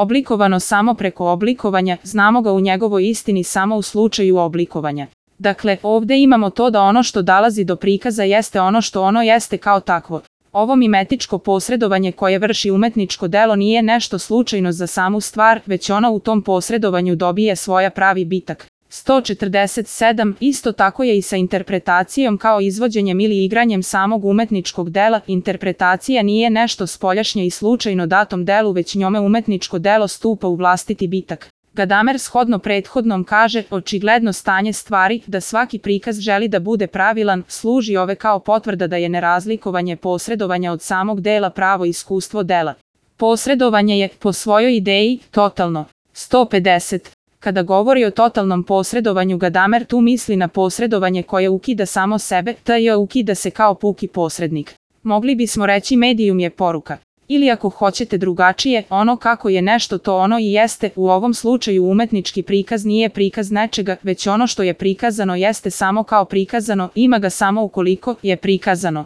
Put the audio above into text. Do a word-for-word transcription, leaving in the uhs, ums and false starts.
Oblikovano samo preko oblikovanja, znamo ga u njegovoj istini samo u slučaju oblikovanja. Dakle, ovde imamo to da ono što dolazi do prikaza jeste ono što ono jeste kao takvo. Ovo mimetičko posredovanje koje vrši umetničko delo nije nešto slučajno za samu stvar, već ono u tom posredovanju dobije svoja pravi bitak. sto četrdeset sedam Isto tako je i sa interpretacijom kao izvođenjem ili igranjem samog umetničkog dela. Interpretacija nije nešto spoljašnje i slučajno datom delu, već njome umetničko delo stupa u vlastiti bitak. Gadamer shodno prethodnom kaže, očigledno stanje stvari, da svaki prikaz želi da bude pravilan, služi ove kao potvrda da je nerazlikovanje posredovanja od samog dela pravo iskustvo dela. Posredovanje je, po svojoj ideji, totalno. sto pedeset Kada govori o totalnom posredovanju, Gadamer tu misli na posredovanje koje ukida samo sebe, tj. ukida se kao puki posrednik. Mogli bismo reći medijum je poruka. Ili ako hoćete drugačije, ono kako je nešto to ono i jeste. U ovom slučaju umetnički prikaz nije prikaz nečega, već ono što je prikazano jeste samo kao prikazano, ima ga samo ukoliko je prikazano.